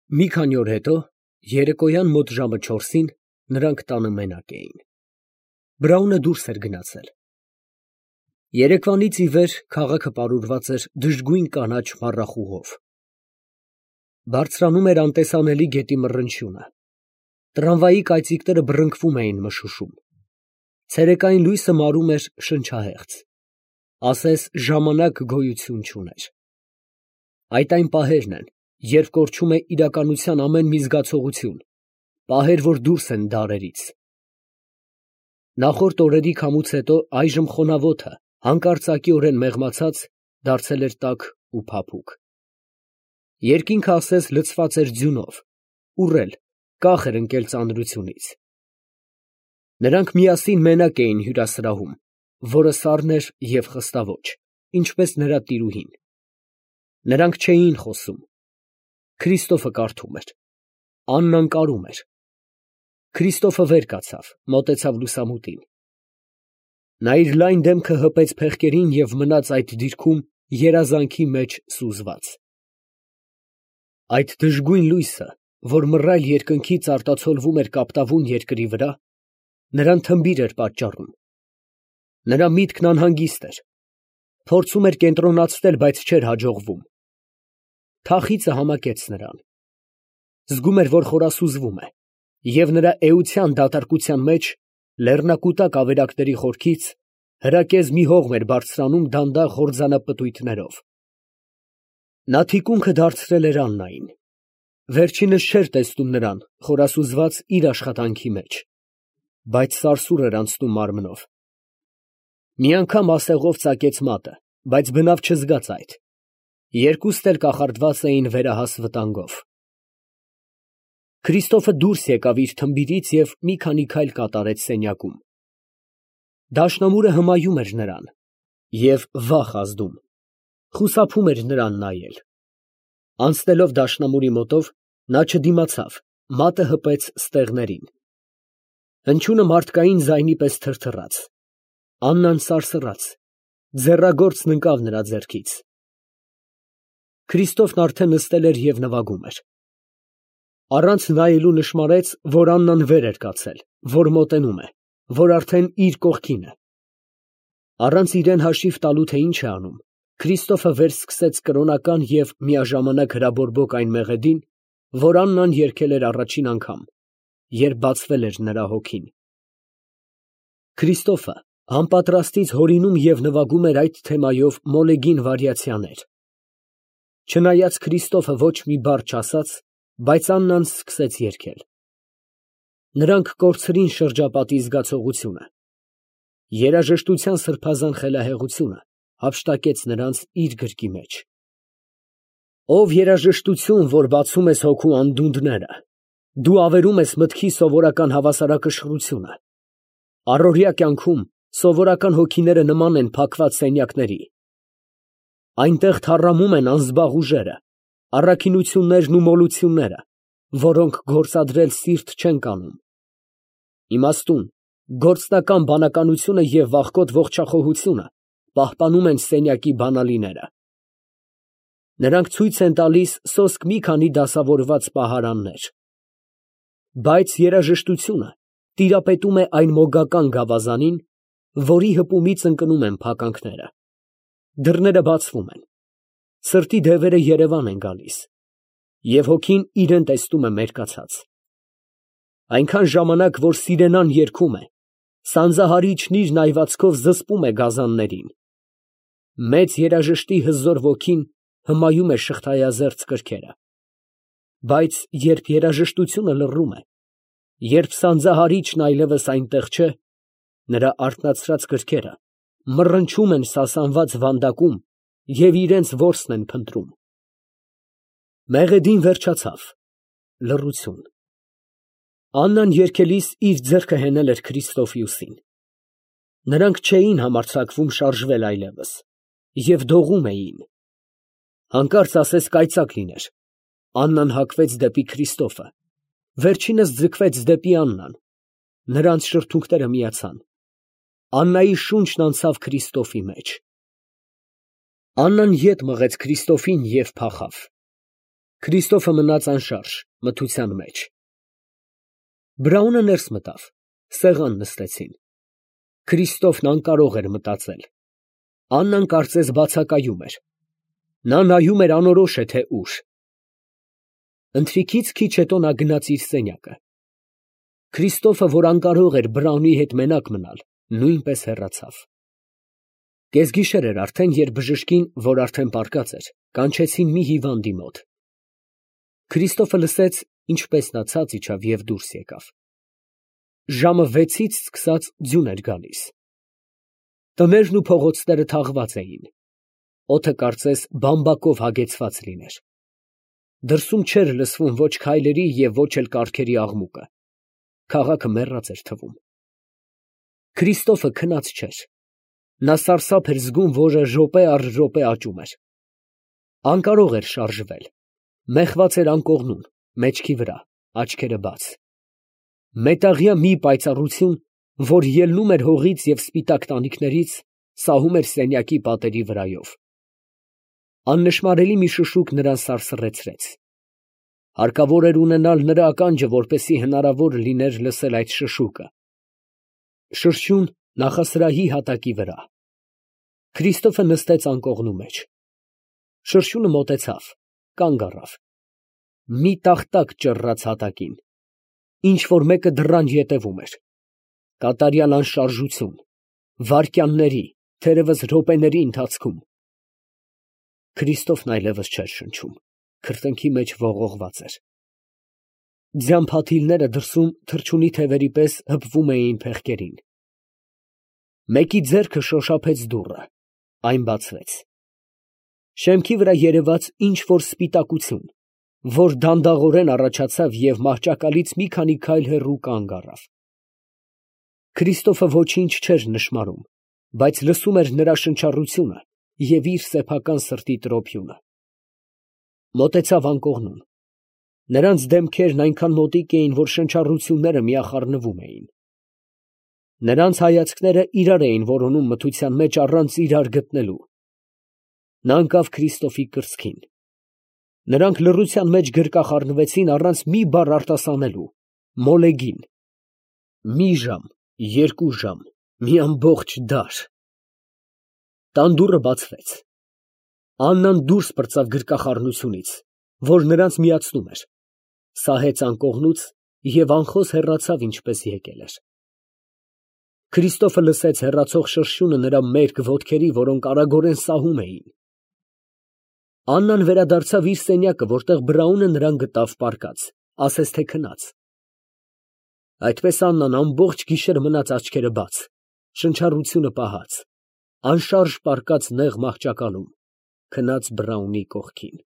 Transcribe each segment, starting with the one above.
Մի քանի օր հետո, երեկոյան մոտ ժամը 4-ին, նրանք տանը մենակ էին. Բրաունը դուրս էր գնացել։ Երեկվանից ի վեր քաղաքը պարուրված էր դժգույն կանաչ մառախուղով։ Բարձրանում էր անտեսանելի գետի մռնչյունը։ Տրամվայի կայծիկները բռնկվում էին մշուշում։ Ցերեկային լույսը մարում էր շնչահեղձ, ասես ժամանակ գոյություն չուներ։ Այդ այն պահերն են, երբ կորչում է իրականության ամեն մի զգացողություն, պահեր, որ դուրս են դարերից։ Նախորդ օրերի քամուց հետո այժմ խոնավոթը, հանկարծակիորեն մեղմացած, դարձել էր տաք ու փափուկ։ Երկինքը ասես լցված էր ձյունով, ուռել, կախ էր ընկել ծանրությունից։ Նրանք միասին մենակ էին հյուրասրահում, որը սառն էր և խստաոճ, ինչպես նրա տիրուհին։ Նրանք չէին խոսում։ Քրիստոֆը կարդում էր, Աննան կարում էր։ Քրիստոֆը վեր կացավ, մոտեցավ լուսամուտին։ Նա իր լայն դեմքը հպեց փեղկերին և մնաց այդ դիրքում երազանքի մեջ սուզված։ Այդ դժգույն լույսը, որ մռայլ երկնքից արտացոլվում էր կապտավուն երկրի վրա, նրան թմբիր էր պատճառում։ Նրա միտքն անհանգիստ էր, փորձում էր կենտրոնացնել, բայց չէր հաջողվում։ Թախիծը համակեց նրան։ Զգում էր, որ խորասուզվում է, և նրա էության դատարկության մեջ, լեռնակուտակ ավերակների խորքից, հրակեզ մի հողմ էր բարձրանում դանդաղ հորձանապտույտներով։ Նա թիկունքը դարձրել էր Աննային։ Վերջինս չէր տեսնում նրան, խորասուզված իր աշխատանքի մեջ, բայց սարսուռ էր անցնում մարմնով։ Մի անգամ ասեղով ծակեց մատը, բայց բնավ չզգաց այդ։ Երկուստ էլ կախարդված էին վերահաս վտանգով։ Քրիստոֆը դուրս եկավ իր թմբիրից և մի քանի քայլ կատարեց սենյակում։ Դաշնամուրը հմայում էր նրան և վախ ազդում, խուսափում էր նրան նայել։ Անցնելով դաշնամուրի մոտով, նա չդիմացավ, մատը հպեց ստեղներին։ Հնչյունը մարդկային ձայնի պես թրթռաց։ Աննան սարսռաց, ձեռագործն ընկավ նրա ձեռքից։ Քրիստոֆն արդեն նստել էր և նվագում էր։ Առանց նայելու նշմարեց, որ Աննան վեր էր կացել, որ մոտենում է, որ արդեն իր կողքին է։ Առանց իրան հաշիվ տալու, թե ինչ է անում, Քրիստոֆը վերսկսեց կրոնական և միաժամանակ հրաբորբոք այն մեղեդին, որ Աննան երգել էր առաջին անգամ, երբ բացվել էր նրա հոգին։ Քրիստոֆը անպատրաստից հորինում և նվագում էր այդ թեմայով մոլեգին վարիացիաներ։ Չնայած Քրիստոֆը ոչ մի բառ չասաց, բայց Աննան սկսեց երգել։ Նրանք կորցրին շրջապատի զգացողությունը։ Երաժշտության սրբազան խելահեղությունը հափշտակեց նրանց իր գրկի մեջ։ Ով երաժշտություն, որ բացում ես հոգու անդունդները, դու ավերում ես մտքի սովորական հավասարակշռությունը։ Առօրյա կյանքում սովորական հոգիները նման են փակված սենյակների։ Այնտեղ թառամում են անզբաղ ուժերը, առաքինություններն ու մոլությունները, որոնք գործադրել սիրտ չեն կանում։ Իմաստուն, գործնական բանականությունը և վախկոտ ողջախոհությունը պահպանում են սենյակի բանալիները։ Նրանք ցույց են տալիս սոսկ մի քանի դասավորված պահարաններ։ Բայց երաժշտությունը տիրապետում է այն մոգական գավազանին, որի հպումից ընկնում են փականքները։ Դռները բացվում են, սրտի դևերը երևան են գալիս, և հոգին իրան տեսնում է մերկացած։ Այնքան ժամանակ, որ սիրենան երգում է, սանձահարիչն իր նայվածքով զսպում է գազաններին։ Մեծ երաժշտի հզոր ոգին հմայում է շղթայազերծ կրքերը։ Բայց երբ երաժշտությունը լռում է, երբ սանձահարիչն այլևս այնտեղ չէ, նրա արթնացրած կրքերը մռնչում են սասանված վանդակում և իրենց որսն են փնտրում։ Մեղեդին վերջացավ, լռություն։ Աննան երգելիս իր ձեռքը հենել էր Քրիստոֆի ուսին։ Նրանք չէին համարձակվում շարժվել այլևս և դողում էին։ Հանկարծ ասես կայծակ լիներ, Աննան հակվեց դեպի Քրիստոֆը, վերջինս ձգվեց դեպի Աննան, նրանց շրթունքները միացան։ Աննայի շունչն անցավ Քրիստոֆի մեջ։ Աննան ետ մղեց Քրիստոֆին և փախավ։ Քրիստոֆը մնաց անշարժ, մթության մեջ։ Բրաունը ներս մտավ, սեղան նստեցին։ Քրիստոֆն անկարող էր մտածել։ Աննան կարծես բացակայում էր։ Նա նայում էր անորոշ է թե ուր։ Ընթրիքից քիչ հետո նա գնաց իր սենյակը։ Քրիստոֆը, որ անկարող էր Բրաունի հետ մենակ մնալ, նույնպես հեռացավ։ Կեսգիշեր էր արդեն, երբ բժշկին, որ արդեն պառկած էր, կանչեցին մի հիվանդի մոտ։ Քրիստոֆը լսեց, ինչպես նա ցած իջավ և դուրս եկավ։ Ժամը 6-ից սկսած ձյուն էր գալիս։ Տներն ու փողոցները թաղված էին։ Օդը կարծես բամբակով հագեցված լիներ։ Դրսում չէր լսվում ոչ քայլերի և ոչ էլ կառքերի աղմուկը։ Քաղաքը մեռած էր թվում։ Քրիստոֆը քնած չէր։ Նա սարսափ էր զգում, որը րոպե առ րոպե աճում էր։ Անկարող էր շարժվել։ Մեխված էր անկողնում, մեջքի վրա, աչքերը բաց։ Մետաղյա մի պայծառություն, որ ելնում էր հողից և սպիտակ տանիքներից, սահում էր սենյակի պատերի վրայով։ Աննշմարելի մի շշուկ նրան սարսռեցրեց։ Հարկավոր էր ունենալ նրա ականջը, որպեսզի հնարավոր լիներ լսել այդ շշուկը։ Շրշյուն նախասրահի հատակի վրա։ Քրիստոֆը նստեց անկողնու մեջ։ Շրշյունը մոտեցավ, կանգ առավ։ Մի տախտակ ճռռաց հատակին։ Ինչ֊որ մեկը դռան ետևում էր։ Կատարյալ անշարժություն, վայրկյանների, թերևս րոպեների ընթացքում։ Քրիստոֆն այլևս չէր շնչում, քրտինքի մեջ ողողված էր։ Ձյան փաթիլները դրսում թռչունի թևերի պես հպվում էին փեղկերին։ Մեկի ձեռքը շոշափեց դուռը, այն բացվեց։ Շեմքի վրա երևաց ինչ֊որ սպիտակություն, որ դանդաղորեն առաջացավ և մահճակալից մի քանի քայլ հեռու կանգ առավ։ Քրիստոֆը ոչինչ չէր նշմարում, բայց լսում էր նրա շնչառությունը և իր սեփական սրտի տրոփյունը։ Մոտեցավ անկողնուն։ Նրանց դեմքերն այնքան մոտիկ էին, որ շնչառությունները միախառնվում էին։ Նրանց հայացքները իրար էին որոնում մթության մեջ առանց իրար գտնելու։ Նա ընկավ Քրիստոֆի կրծքին։ Նրանք լռության մեջ գրկախառնվեցին առանց մի բառ արտասանելու, մոլեգին։ Մի ժամ, 2 ժամ, մի ամբողջ դար։ Տան դուռը բացվեց։ Աննան դուրս պրծավ գրկախառնությունից, որ նրանց միացնում էր, սահեց անկողնուց և անխոս հեռացավ, ինչպես եկել էր։ Քրիստոֆը լսեց հեռացող շրշյունը նրա մերկ ոտքերի, որոնք արագորեն սահում էին։ Աննան վերադարձավ իր սենյակը, որտեղ Բրաունը նրան գտավ պառկած, ասես թե քնած։ Այդպես Աննան ամբողջ գիշեր մնաց աչքերը բաց, շնչառությունը պահած, անշարժ պառկած նեղ մահճակալում, քնած Բրաունի կողքին։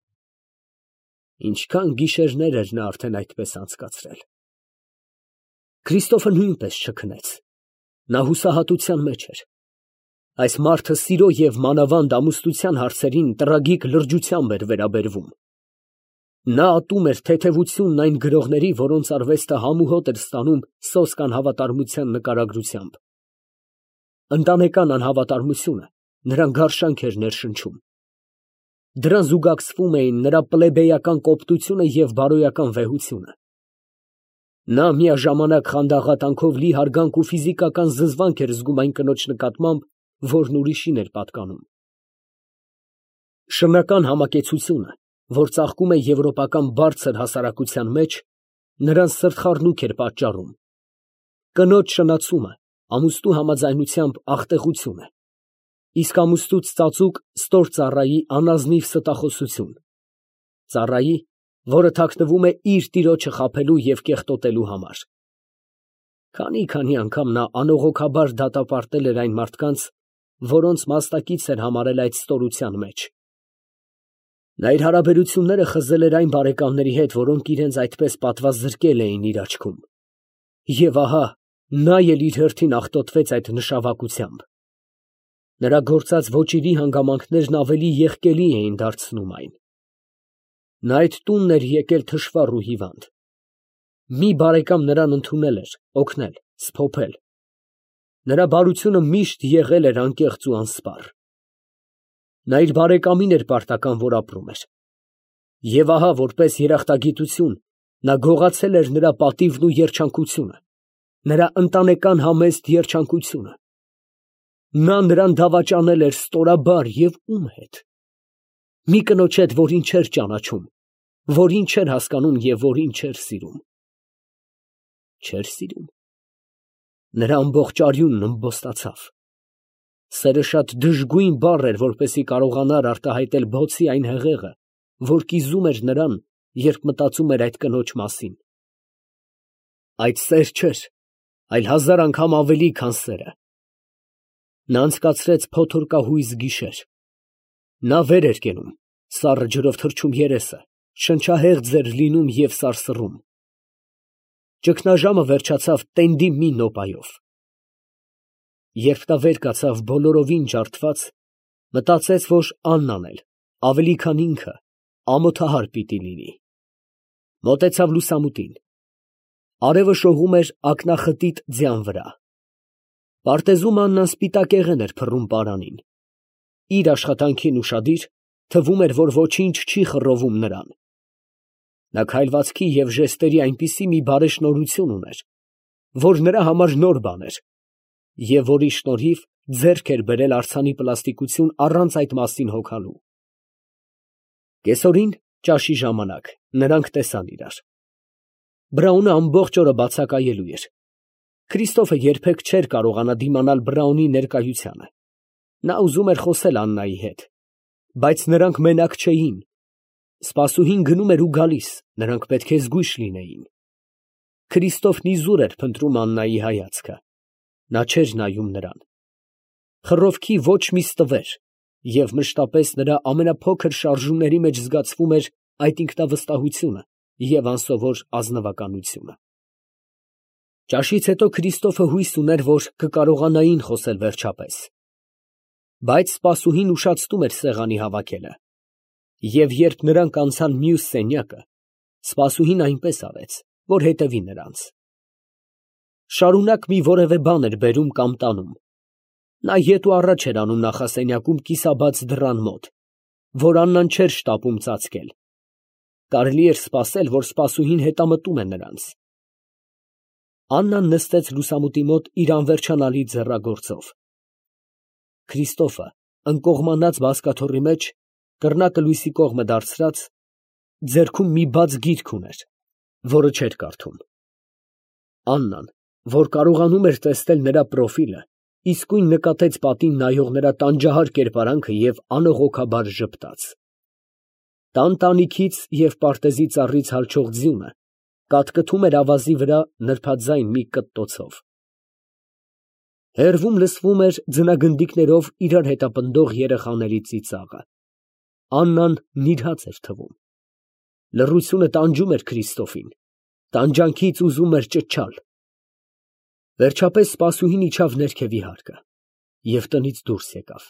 Ինչքան գիշերներ էր նա արդեն այդպես անցկացրել։ Քրիստոֆը նույնպես չքնեց։ Նա հուսահատության մեջ էր։ Այս մարդը սիրո և մանավանդ ամուսնության հարցերին տրագիկ լրջությամբ էր վերաբերվում։ Նա ատում էր թեթևությունն այն գրողների, որոնց արվեստը համուհոտ էր ստանում սոսկ անհավատարմության նկարագրությամբ։ Ընտանեկան անհավատարմությունը նրան գարշանք էր ներշնչում։ Դրան զուգակցվում էին նրա պլեբեյական կոպտությունը և բարոյական վեհությունը։ Նա միաժամանակ խանդաղատանքով լի հարգանք ու ֆիզիկական զզվանք էր զգում այն կնոջ նկատմամբ, որն ուրիշին էր պատկանում։ Շնական համակեցությունը, որ ծաղկում է եվրոպական բարձր հասարակության մեջ, նրան սրտխառնուկ էր պատճառում։ Կնոջ շնացումը ամուսնու համաձայնությամբ աղտեղություն է, իսկ ամուսնուց ծածուկ ստոր ծառայի անազնիվ ստախոսություն, ծառայի, որը թաքնվում է իր տիրոջը խաբելու և կեղտոտելու համար։ Քանի անգամ նա անողոքաբար դատապարտել էր այն մարդկանց, որոնց մասնակից էր համարել այդ ստորության մեջ։ Նա իր հարաբերությունները խզել էր այն բարեկամների հետ, որոնք իրենց այդպես պատվազրկել էին իր աչքում։ Եվ ահա, նա էլ իր հերթին աղտոտվեց այդ նշավակությամբ։ Նրա գործած ոճիրի հանգամանքներն ավելի եղկելի էին դարձնում այն։ Նա այդ տունն էր եկել թշվառ ու հիվանդ։ Մի բարեկամ նրան ընդունել էր, օգնել, սփոփել։ Նրա բարությունը միշտ եղել էր անկեղծ ու անսպառ։ Նա իր բարեկամին էր պարտական, որ ապրում էր։ Եվ ահա, որպես երախտագիտություն, նա գողացել էր նրա պատիվն ու երջանկությունը, նրա ընտանեկան համեստ երջանկությունը։ Նա նրան դավաճանել էր ստորաբար և ում հետ։ Մի կնոջ հետ, որին չէր ճանաչում, որին չէր հասկանում և որին չէր սիրում։ Չէր սիրում։ Նրա ամբողջ արյունն ըմբոստացավ։ Սերը շատ դժգույն բառ էր, որպեսզի կարողանար արտահայտել բոցի այն հեղեղը, որ կիզում էր նրան, երբ մտածում էր այդ կնոջ մասին։ Այդ սեր չէր, այլ 1000 անգամ ավելի, քան սերը։ Նա անցկացրեց փոթորկահույզ գիշեր։ Նա վեր էր կենում, սառը ջրով թրջում երեսը, շնչահեղձ էր լինում և սարսռում։ Ճգնաժամը վերջացավ տենդի մի նոպայով։ Երբ նա վեր կացավ բոլորովին ջարդված, մտածեց, որ Աննան էլ, ավելի քան ինքը, ամոթահար պիտի լինի։ Մոտեցավ լուսամուտին։ Արևը շողում էր ակնախտիտ ձյան վրա։ Պարտեզում Աննան սպիտակեղեն էր փռում պարանին։ Իր աշխատանքին ուշադիր, թվում էր, որ ոչինչ չի խռովում նրան։ Նա քայլվածքի և ժեստերի այնպիսի մի բարեշնորհություն ուներ, որ նրա համար նոր բան էր, և որի շնորհիվ ձեռք էր բերել արձանի պլաստիկություն առանց այդ մասին հոգալու։ Կեսօրին, ճաշի ժամանակ, նրանք տեսան իրար։ Բրաունը ամբողջ օրը բացակայելու էր։ Քրիստոֆը երբեք չէր կարողանա դիմանալ Բրաունի ներկայությանը։ Նա ուզում էր խոսել Աննայի հետ, բայց նրանք մենակ չէին։ Սպասուհին գնում էր ու գալիս, նրանք պետք է զգույշ լինեին։ Քրիստոֆն իզուր էր փնտրում Աննայի հայացքը։ Նա չէր նայում նրան։ Խռովքի ոչ մի ստվեր, և մշտապես նրա ամենափոքր շարժումների մեջ զգացվում էր այդ ինքնավստահությունը և անսովոր ազնվականությունը։ Ճաշից հետո Քրիստոֆը հույս ուներ, որ կկարողանային խոսել վերջապես։ Բայց սպասուհին ուշացնում էր սեղանի հավաքելը։ Եվ երբ նրանք անցան մյուս սենյակը, սպասուհին այնպես արեց, որ հետևի նրանց։ Շարունակ մի որևէ բան էր բերում կամ տանում։ Նա ետ ու առաջ էր անում նախասենյակում կիսաբաց դռան մոտ, որ Աննան չէր շտապում ծածկել։ Կարելի էր սպասել, որ սպասուհին հետամտում է նրանց։ Աննան նստեց լուսամուտի մոտ իր անվերջանալի ձեռագործով։ Քրիստոֆը, ընկողմանած բազկաթոռի մեջ, կռնակը լույսի կողմը դարձրած, ձեռքում մի բաց գիրք ուներ, որը չէր կարդում։ Աննան, որ կարողանում էր տեսնել նրա պրոֆիլը, իսկույն նկատեց պատին նայող նրա տանջահար կերպարանքը և անողոքաբար ժպտաց։ Տան տանիքից և պարտեզի ծառից հալչող ձյունը կատկթում էր ավազի վրա նրբաձայն մի կտտոցով։ Հեռվում լսվում էր ձնագնդիկներով իրար հետապնդող երեխաների ծիծաղը։ Աննան նիրհած էր թվում։ Լռությունը տանջում էր Քրիստոֆին, տանջանքից ուզում էր ճչալ։ Վերջապես սպասուհին իջավ ներքևի հարկը և տնից դուրս եկավ։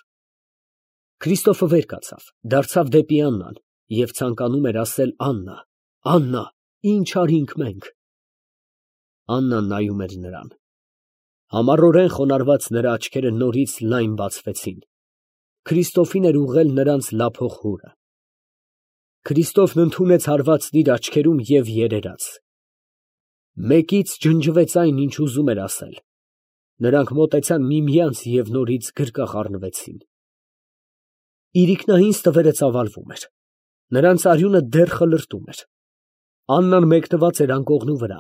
Քրիստոֆը վեր կացավ, դարձավ դեպի Աննան և ցանկանում էր ասել. «Աննա, Աննա, ի՞նչ արինք մենք»։ Աննան նայում էր նրան։ Համառորեն խոնարհված նրա աչքերը նորից լայն բացվեցին։ Քրիստոֆին էր ուղղել նրանց լափող հուրը։ Քրիստոֆն ընդունեց հարվածն իր աչքերում և երերաց։ Մեկից ջնջվեց այն, ինչ ուզում էր ասել։ Նրանք մոտեցան միմյանց և նորից գրկախառնվեցին։ Իրիկնահին ստվերը ծավալվում էր։ Նրանց արյունը դեռ խլրտում էր։ Աննան մեկնված էր անկողնու վրա,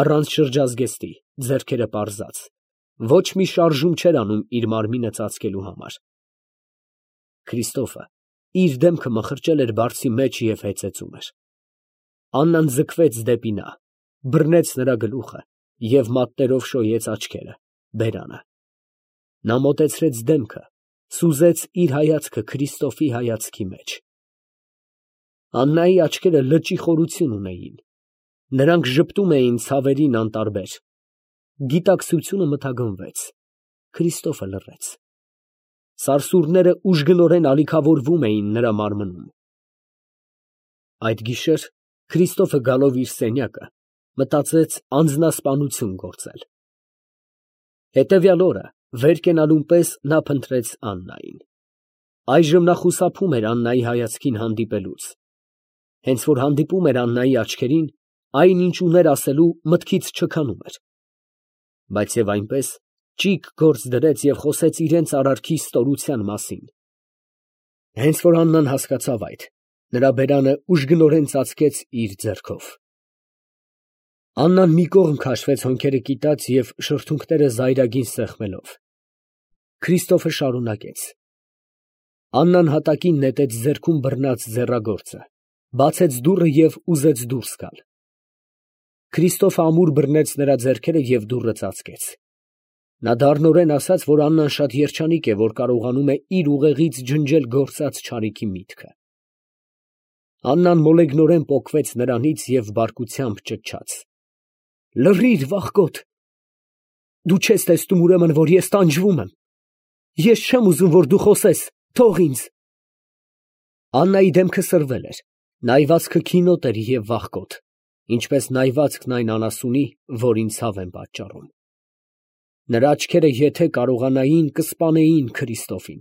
առանց շրջազգեստի, ձեռքերը պարզած, ոչ մի շարժում չէր անում իր մարմինը ծածկելու համար։ Քրիստոֆը իր դեմքը մխրճել էր բարձի մեջ և հեծեծում էր։ Աննան ձգվեց դեպի նա, բռնեց նրա գլուխը և մատներով շոյեց աչքերը, բերանը։ Նա մոտեցրեց դեմքը, սուզեց իր հայացքը Քրիստոֆի հայացքի մեջ։ Աննայի աչքերը լճի խորություն ունեին։ Նրանք ժպտում էին ցավերին անտարբեր։ Գիտակցությունը մթագնվեց։ Քրիստոֆը լռեց։ Սարսուռները ուժգնորեն ալիքավորվում էին նրա մարմնում։ Այդ գիշեր Քրիստոֆը գալով իր սենյակը, մտածեց անձնասպանություն գործել։ Հետևյալ օրը վեր կենալուն պես նա փնտրեց Աննային։ Այժմ նա խուսափում էր Աննայի հայացքին հանդիպելուց։ Հենց որ հանդիպում էր Աննայի աչքերին, այն ինչ ուներ ասելու մտքից չքանում էր։ Բայց եւ այնպես ճիգ գործ դրեց և խոսեց իրենց արարքի ստորության մասին։ Հենց որ Աննան հասկացավ այդ, նրա բերանը ուժգնորեն ծածկեց իր ձեռքով։ Աննան մի կողմ քաշվեց հոնքերը կիտած և շրթունքները զայրագին սեղմելով։ Քրիստոֆը շարունակեց. Աննան հատակին նետեց ձեռքում բռնած ձեռագործը, բացեց դուռը և ուզեց դուրս գալ։ Քրիստոֆը ամուր բռնեց նրա ձեռքերը և դուռը ծածկեց։ Նա դառնորեն ասաց, որ Աննան շատ երջանիկ է, որ կարողանում է իր ուղեղից ջնջել գործած չարիքի միտքը։ Աննան մոլեգնորեն պոկվեց նրանից և բարկությամբ ճչաց. «Լռի՛ր, վախկոտ. դու չես տեսնում, ուրեմն, որ ես տանջվում եմ. ես չեմ ուզում, որ դու խոսես, թող ինձ»։ Աննայի դեմքը սրվել էր, նայվածքը քինոտ էր և վախկոտ, ինչպես նայվածքն այն անասունի, որին ցավ են պատճառում։ Նրա աչքերը եթե կարողանային, կսպանեին Քրիստոֆին։